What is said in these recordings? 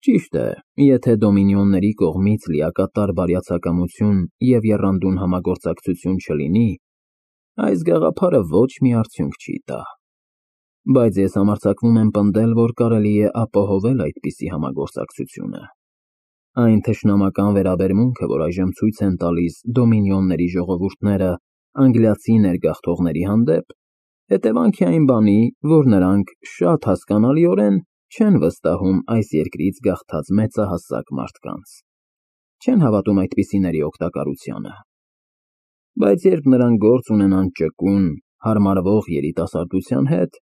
Ճիշտ է, եթե դոմինիոնների կողմից լիակատար բարյացակամություն և եռանդուն համագործակցություն չլինի, այս գաղափարը ոչ մի արդյունք չի տա։ Բայց ես համարձակվում եմ պնդել, որ կարելի է ապահովել այդպիսի համագործակցությունը։ Այն թշնամական վերաբերմունքը, որ այժմ ցույց են տալիս դոմինիոնների ժողովուրդները անգլիացի ներգաղթողների հանդեպ, հետևանք է այն բանի, որ նրանք շատ հասկանալիորեն չեն վստահում այս երկրից գաղթած մեծահասակ մարդկանց, չեն հավատում այդպիսիների օգտակարությանը։ Բայց երբ նրանք գործ ունենան ճկուն, հարմարվող երիտասարդության հետ,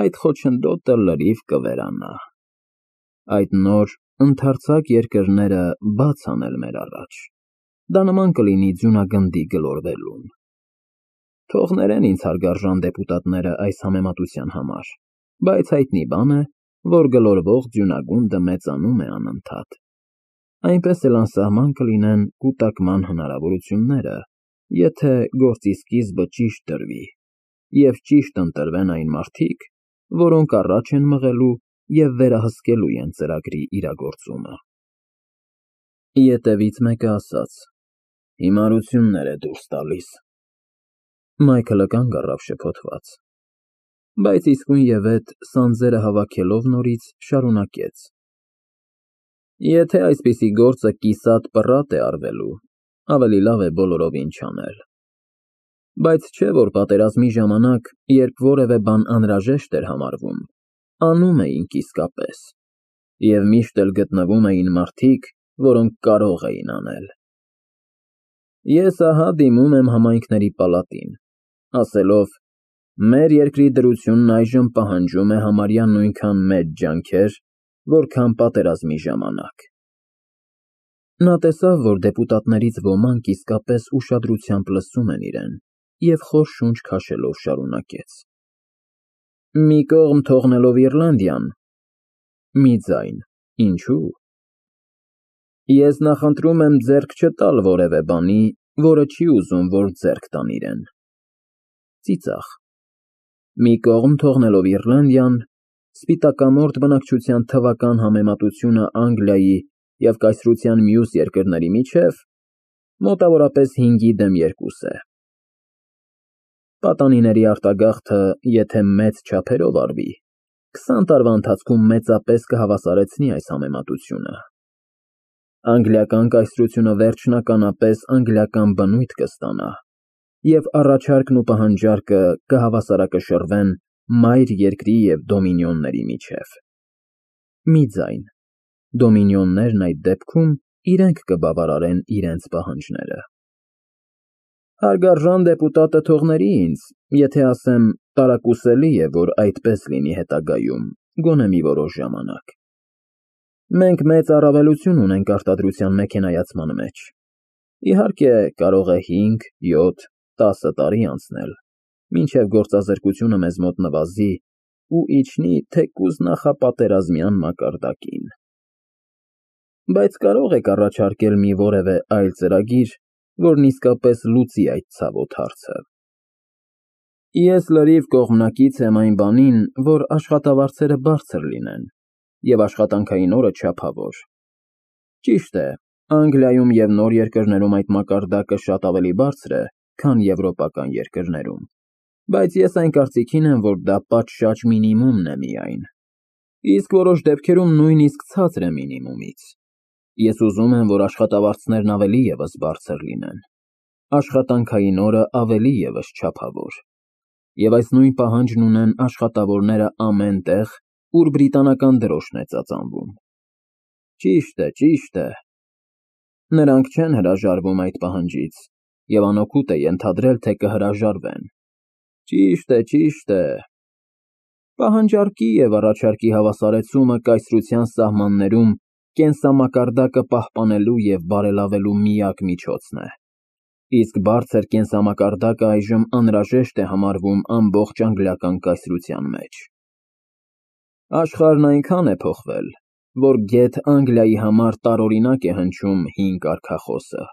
այդ խոչընդոտը լրիվ կվերանա։ Այդ նոր, ընդարձակ երկրները բաց անել մեր առաջ, դա նման կլինի ձյունագնդի գլորվելուն։ Թող ներեն ինձ հարգարժան դեպուտատները այս համեմատության համար, բայց հայտնի բան է, որ գլորվող ձյունագունդը մեծանում է անընդհատ։ Այնպես էլ անսահման կլինեն կուտակման հնարավորությունները, եթե գործի սկիզբը ճիշտ դրվի, և ճիշտ ընտրվեն այն մարդիկ, որոնք առաջ են մղելու և վերահսկելու են ծրագրի իրագործումը։ Ետևից մեկը ասաց. «Հիմարություններ է դուրս տալիս»։ Մայքլը կանգ առավ շփոթված, բայց իսկույնևեթ սանձերը հավաքելով նորից շարունակեց. Եթե այսպիսի գործը կիսատ պռատ է արվելու, ավելի լավ է բոլորովին չանել։ Բայց չէ՞ որ պատերազմի ժամանակ, երբ որևէ բան անհրաժեշտ էր համարվում, անում էինք իսկապես, և միշտ էլ գտնվում էին մարդիկ, որոնք կարող էին անել։ Ես ահա դիմում եմ համայնքների պալատին, ասելով. մեր երկրի դրությունն այժմ պահանջում է համարյա նույնքան մեծ ջանքեր, որքան պատերազմի ժամանակ։ Նա տեսավ, որ դեպուտատներից ոմանք իսկապես ուշադրությամբ լսում են իրեն, և խոր շունչ քաշելով շարունակեց. Մի կողմ թողնելով Իռլանդիան, մի ձայն, ինչո՞ւ։ Ես նախընտրում եմ ձեռք չտալ որևէ բանի, որը չի ուզում, որ ձեռք տան իրեն։ Ծիծաղ։ Մի կողմ թողնելով Իռլանդիան, սպիտակամորթ բնակչության թվական համեմատությունը Անգլիայի և կայսրության մյուս երկրների միջև մոտավորապես 5:2 է։ Պատանիների արտագաղթը, եթե մեծ չափերով արվի, 20 տարվա ընթացքում մեծապես կհավասարեցնի այս համեմատությունը։ Անգլիական կայսրությունը վերջնականապես անգլիական բնույթ կստանա, և առաջարկն ու պահանջարկը կհավասարակշռվեն մայր երկրի և դոմինիոնների միջև։ Մի ձայն, դոմինիոններն այդ դեպքում իրենք կբավարարեն իրենց պահանջները։ Հարգարժան դեպուտատը թող ների ինձ, եթե ասեմ, տարակուսելի է, որ այդպես լինի հետագայում, գոնե մի որոշ ժամանակ։ Մենք մեծ առավելություն ունենք արտադրության մեքենայացման մեջ։ Իհարկե, կարող է 5, 7, 10 տարի անցնել, մինչև գործազրկությունը մեզ մոտ նվազի ու իջնի թեկուզ նախապատերազմյան մակարդակին։ Բայց կարող եք առաջարկել մի որևէ այլ ծրագիր, որն իսկապես լուծի այդ ցավոտ հարցը։ Ես լրիվ կողմնակից եմ այն բանին, որ աշխատավարձերը բարձր լինեն, և աշխատանքային օրը չափավոր։ Ճիշտ է, Անգլիայում և նոր երկրներում այդ մակարդակը շատ ավելի բարձր է, քան եվրոպական երկրներում, բայց ես այն կարծիքին եմ, որ դա պատշաճ մինիմումն է միայն, իսկ որոշ դեպքերում նույնիսկ ցածր է մինիմումից։ Ես ուզում եմ, որ աշխատավարձներն ավելի ևս բարձր լինեն, աշխատանքային օրը ավելի ևս չափավոր, և այս նույն պահանջն ունեն աշխատավորները ամեն տեղ, ուր բրիտանական դրոշն է ծածանվում։ Ճիշտ է։ Նրանք չեն հրաժարվում այդ պահանջից, և անօգուտ է ենթադրել, թե կհրաժարվեն։ Ճիշտ է։ Պահանջարկի և առաջարկի հավասարեցումը կայսրության սահմաններում կենսամակարդակը պահպանելու և բարելավելու միակ միջոցն է, իսկ բարձր կենսամակարդակը այժմ անհրաժեշտ է համարվում ամբողջ անգլիական կայսրության մեջ։ Աշխարհն այնքան է փոխվել, որ գեթ Անգլիայի համար տարօրինակ է հնչում հին կարգախոսը.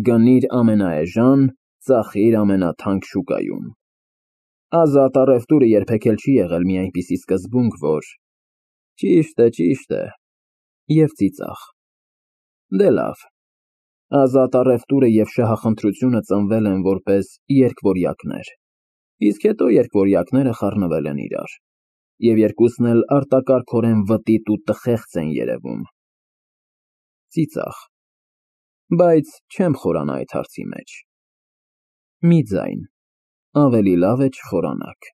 գնիր ամենաէժան, ծախիր ամենաթանկ շուկայում։ Ազատ առևտուրը երբեք էլ չի եղել մի այնպիսի սկզբունք, որ… Ճիշտ է։ և ծիծաղ։ Դե լավ, ազատ առևտուրը և շահախնդրությունը ծնվել են որպես երկվորյակներ, իսկ հետո երկվորյակները խառնվել են իրար, և երկուսն էլ արտակարգորեն վտիտ ու տխեղծ են երևում։ Ծիծաղ, բայց չեմ խորանա այդ հարցի մեջ։ Մի ձայն, ավելի լավ է չխորանաք։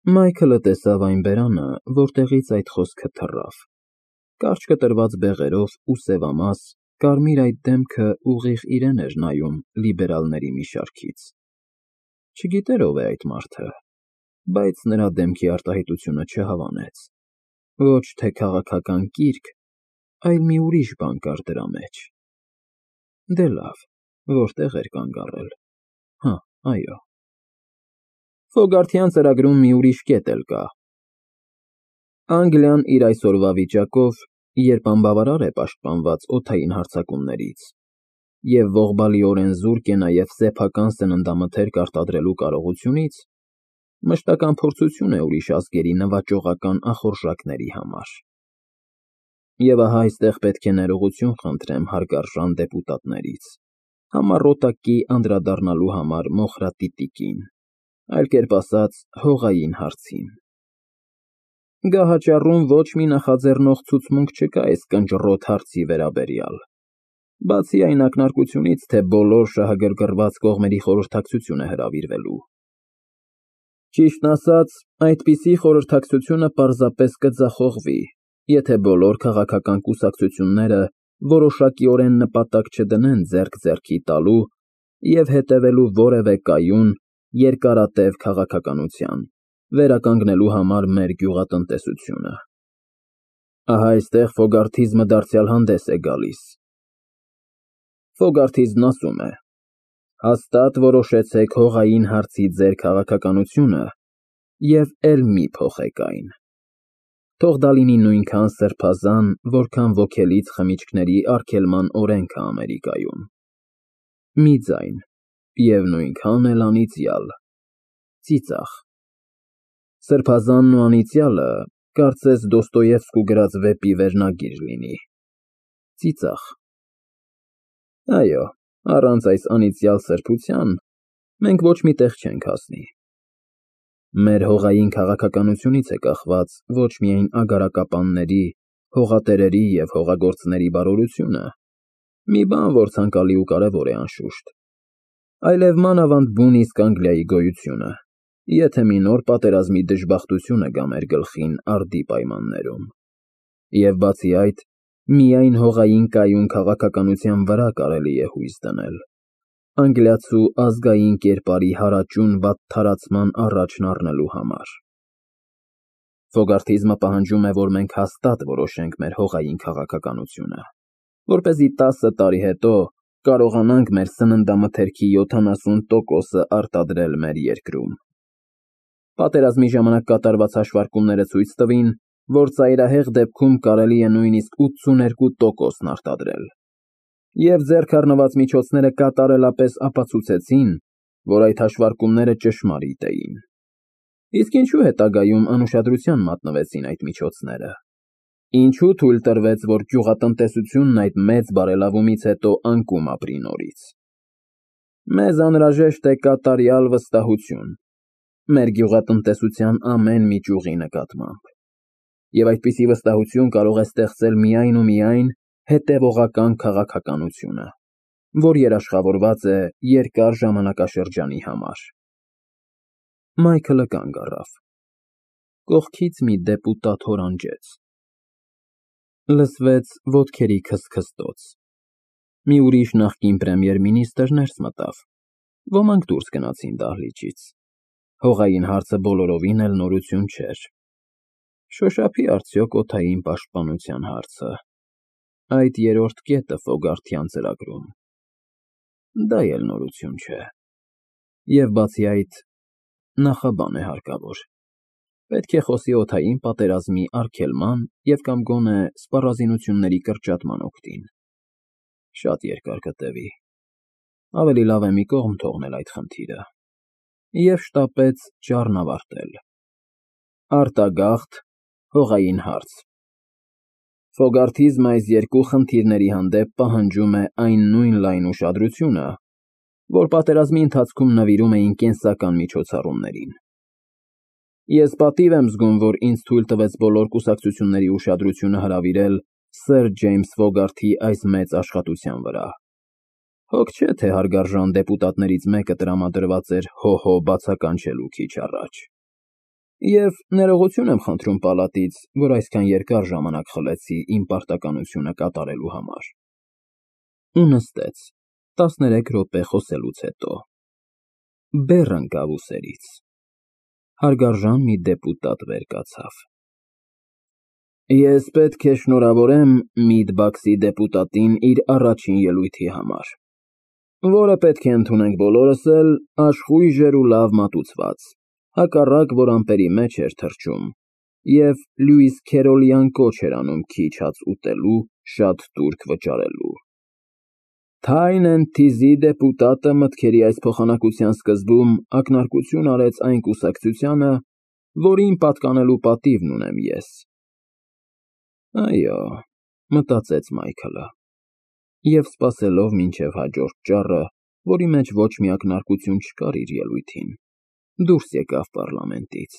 Մայքլը տեսավ այն բերանը, որտեղից այդ խոսքը թռավ, կարճ կտրված բեղերով ու սևամաս, կարմիր այդ դեմքը ուղիղ իրեն էր նայում լիբերալների մի շարքից։ Չգիտեր ով է այդ մարդը, բայց նրա դեմքի արտահայտությունը չհավանեց։ Ոչ թե քաղաքական կիրք, այլ մի ուրիշ բան կար դրա մեջ։ Դե լավ, որտեղ էր կանգ առել։ Հա, այո։ Ֆոգարթյան ծրագրում մի ուրիշ կետ էլ կա։ Անգլիան իր այսօրվա վիճակով, երբ անբավարար է պաշտպանված օդային հարձակումներից, և ողբալիորեն զուրկ է նաև սեփական սննդամթերք արտադրելու կարողությունից, մշտական փորձություն է ուրիշ ազգերի նվաճողական ախորժակների համար։ Եվ ահա այստեղ պետք է ներողություն խնդրեմ հարգարժան դեպուտատներից, համառոտակի անդրադառնալու համար Մոխրատիտիկին, այլ կերպ ասած, հողային հարցին։ Գահաճառում ոչ մի նախաձեռնող ցուցմունք չկա այս կնճռոտ հարցի վերաբերյալ, բացի այն ակնարկությունից, թե բոլոր շահագրգռված կողմերի խորհրդակցություն է հրավիրվելու։ Ճիշտն ասած, այդպիսի խորհրդակցությունը պարզապես կձախողվի, եթե բոլոր քաղաքական կուսակցությունները որոշակիորեն նպատակ չդնեն ձեռք ձեռքի տալու և հետևելու որևէ կայուն, երկարատև քաղաքականության, վերականգնելու համար մեր գյուղատնտեսությունը։ Ահա այստեղ ֆոգարթիզմը դարձյալ հանդես է գալիս։ Ֆոգարթիզմն ասում է. հաստատ որոշեցեք հողային հարցի ձեր քաղաքականությունը և էլ մի փոխեք այն։ Թող դա լինի նույնքան սրբազան, որքան ոգելից խմիչքների արգելման օրենքը Ամերիկայում։ Մի ձայն, և նույնքան էլ անիծյալ։ Ծիծաղ։ Սրբազանն ու անիծյալը կարծես Դոստոևսկու գրած վեպի վերնագիր լինի։ Ծիծաղ։ Այո, առանց այս անիծյալ սրբության մենք ոչ մի տեղ չենք հասնի։ Մեր հողային քաղաքականությունից է կախված ոչ միայն ագարակապանների, հողատերերի և հողագործների բարօրությունը, մի բան, որ ցանկալի ու կարևոր է անշուշտ, այլև մանավանդ բուն իսկ Անգլիայի գոյությունը, եթե մի նոր պատերազմի դժբախտությունը գա մեր գլխին արդի պայմաններում։ Եվ բացի այդ, միայն հողային կայուն քաղաքականության վրա կարելի է հույս դնել, անգլիացու ազգային կերպարի հարաճուն վատթարացման առաջն առնելու համար։ Ֆոգարթիզմը պահանջում է, որ մենք հաստատ որոշենք մեր հողային քաղաքականությունը, որպեսզի 10 տարի հետո կարողանանք մեր սննդամթերքի 70%-ը արտադրել մեր երկրում։ Պատերազմի ժամանակ կատարված հաշվարկումները ցույց տվին, որ ծայրահեղ դեպքում կարելի է նույնիսկ 82%-ն արտադրել։ Եվ ձեռք առնված միջոցները կատարելապես ապացուցեցին, որ այդ հաշվարկումները ճշմարիտ էին։ Իսկ ինչու հետագայում անուշադրության մատնվեցին այդ միջոցները։ Ինչու թույլ տրվեց, որ գյուղատնտեսությունն այդ մեծ բարելավումից հետո անկում ապրի նորից։ Մեզ անհրաժեշտ է կատարյալ վստահություն մեր գյուղատնտեսության ամեն մի ճյուղի նկատմամբ։ Եվ այդպիսի վստահություն կարող է ստեղծել միայն ու միայն հետևողական քաղաքականությունը, որ երաշխավորված է երկար ժամանակաշրջանի համար։ Մայքլը կանգ առավ։ Կողքից մի դեպուտատ հորանջեց։ Լսվեց ոտքերի քստքստոց։ Մի ուրիշ նախկին պրեմիեր֊մինիստրը ներս մտավ։ Ոմանք դուրս գնացին դահլիճից։ Հողային հարցը բոլորովին էլ նորություն չէր։ Շոշափի արդյոք օդային պաշտպանության հարցը, այդ երրորդ կետը Ֆոգարթյան ծրագրում։ Դա էլ նորություն չէ։ Եվ բացի այդ, նախաբան է հարկավոր։ Պետք է խոսի օդային պատերազմի արգելման և կամ գոնե սպառազինությունների կրճատման օգտին։ Շատ երկար կտևի։ Ավելի լավ է մի կողմ թողնել այդ խնդիրը։ Եվ շտապեց ճառն ավարտել։ Արտագաղթ, հողային հարց։ Ֆոգարթիզմը այս երկու խնդիրների հանդեպ պահանջում է այն նույն լայն ուշադրությունը, որ պատերազմի ընթացքում նվիրում էին կենսական միջոցառումներին։ Ես պատիվ եմ զգում, որ ինձ թույլ տվեց բոլոր կուսակցությունների ուշադրությունը հրավիրել սըր Ջեյմս Ֆոգարթի այս մեծ աշխատության վրա։ Հոգ չէ, թե հարգարժան դեպուտատներից մեկը տրամադրված էր հո-հո բացականչելու քիչ առաջ։ Եվ ներողություն եմ խնդրում պալատից, որ այսքան երկար ժամանակ խլեցի իմ պարտականությունը կատարելու համար։ Ու նստեց 13 րոպե խոսելուց հետո։ Բեռ ընկավ ուսերից։ Հարգարժան մի դեպուտատ վեր կացավ։ Ես պետք է շնորհավորեմ Միդբաքսի դեպուտատին իր առաջին ելույթի համար, որը պետք է ընդունենք բոլորս էլ աշխույժ էր ու լավ մատուցված, հակառակ որ ամպերի մեջ էր թռչում և Լյուիս Քերոլյան կոչ էր անում քիչ հաց ուտելու, շատ տուրք վճարելու։ Թայնենթիզի դեպուտատը մտքերի այս փոխանակության սկզբում ակնարկություն արեց այն կուսակցությանը, որին պատկանելու պատիվն ունեմ ես։ Այո, մտածեց Մայքլը, և սպասելով մինչև հաջորդ ճառը, որի մեջ ոչ մի ակնարկություն չկար իր ելույթին, դուրս եկավ պառլամենտից։